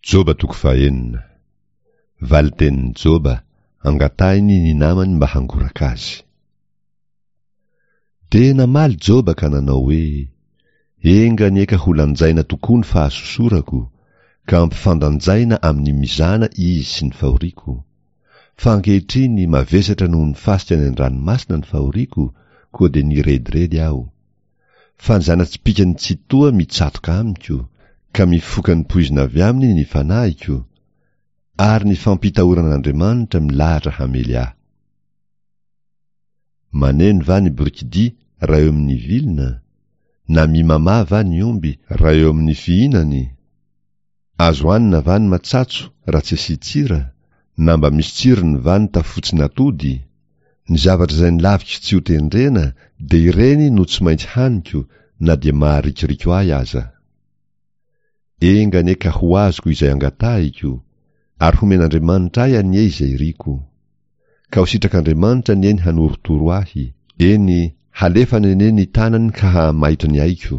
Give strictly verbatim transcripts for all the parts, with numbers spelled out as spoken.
Joba toko fahenina. Valin-tenin'i Joba, angatahiny ny namany mba hangoraka azy. Dia namaly Joba ka nanao hoe, Enga anie ka ho lanjaina tokoa ny fahasosorako, ka ampifandanjaina amin'ny mizana izy sy ny fahoriako. Fa ankehitriny mavesatra noho ny fasika any an-dranomasina ny fahoriako, koa dia nirediredy aho. Fa ny zana-tsipìkan'ny Tsitoha mitsatoka amiko, ka mifoka ny poizina avy aminy ny fanahiko, ary ny fampitahoran'Andriamanitra milahatra hamely ahy. Maneno va ny borikidia raha eo amin'ny vilona? Na mimamà va ny omby raha eo amin'ny fihinany? Azo hanina va ny matsatso raha tsy asian-tsira? Na mba misy tsirony va ny tafotsin'atody? Ny zavatra izay nolaviko tsy ho tendrena dia ireny no tsy maintsy haniko na dia maharikoriko ahy aza. Enga anie ka ho azoko izay angatahiko, ary homen'Andriamanitra ahy anie izay iriko. Ka ho sitrak'Andriamanitra anie ny hanorotoro ahy, eny, halefany anie ny tanany ka hahamaitra ny aiko.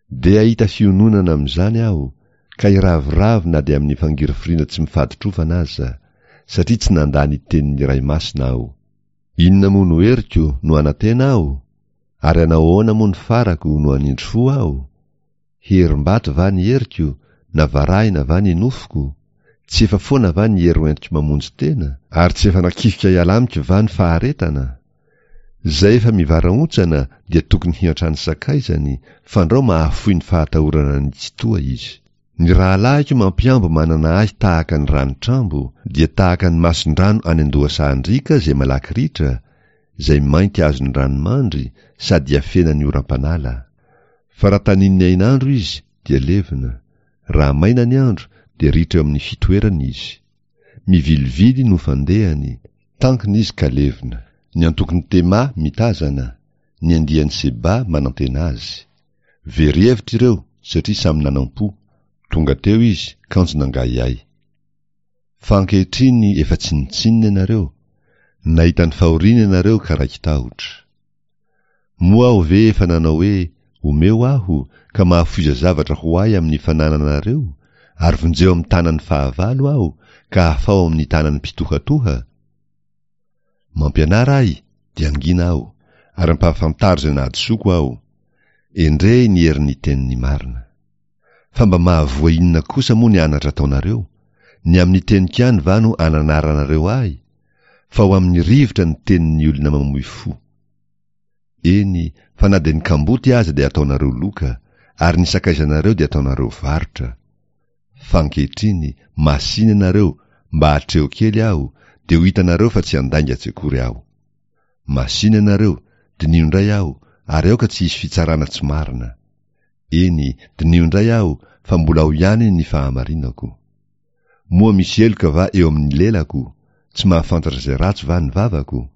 Dia hahita fiononana amin'izany aho, ka hiravoravo na dia amin'ny fangirifiriana tsy mifaditrovana aza, satria tsy nandà ny tenin'ny Ray Masina aho. Inona moa no heriko no hanantena aho? Ary hanao ahoana moa ny farako no hanindry fo aho? Herim-bato va ny heriko, na varahina va ny nofoko? Tsy efa foana va ny hery hoentiko mamonjy tena? Ary tsy efa nakifika hiala amiko va ny faharetana? Izay efa mivarahontsana dia tokony hiantrano sakaizany, fandrao mahafoy ny fahatahorana ny Tsitoha izy. Ny rahalahiko mampihambo manana ahy tahaka ny ranotrambo, dia tahaka ny mason-drano any an-dohasahan-driaka izay malaky ritra, izay mainty azon'ny ranomandry sady iafenan'ny oram-panala. Fa raha tanin'ny hainandro izy, dia levona, raha maina ny andro, dia ritra eo amin'ny fitoerany izy. Mivilivily no fandehany, tankina izy ka levona. Ny antokon'i Tema mitazana, ny andian'i Seba manantena azy. Very hevitra ireo satria samy nanam-po, tonga teo izy kanjo nangahiahy. Fa ankehitriny efa tsinontsinona ianareo, nahita ny fahoriana ianareo ka raiki-tahotra. Moa aho ve efa nanao hoe, Omeo aho, ka mahafoiza zavatra ho ahy amin'ny fanananareo, ary vonjeo amin'ny tanan'ny fahavalo aho, ka afaho amin'ny tanan'ny mpitohatoha? Mampianara ahy, dia hangina aho, ary ampahafantaro izay nahadisoako aho. Endrey ny herin'ny tenin'ny marina. Fa mba mahavoa inona kosa moa ny anatra ataonareo? Ny amin'ny teniko ihany va no ananaranareo ahy? Fa ho amin'ny rivotra ny tenin'ny olona mamoy fo. Eny, fa na dia ny kamboty aza dia ataonareo loka, ary ny sakaizanareo dia ataonareo varotra. Fa ankehitriny, masìna ianareo, mba atreho kely aho, dia ho hitanareo fa tsy handainga tsy akory aho. Masìna ianareo, diniho indray aho, ary aoka tsy hisy fitsarana tsy marina. Eny, diniho indray aho, fa mbola ao ihany ny fahamarinako. Moa misy heloka va eo amin'ny lelako? Tsy mahafantatra izay ratsy va ny vavako?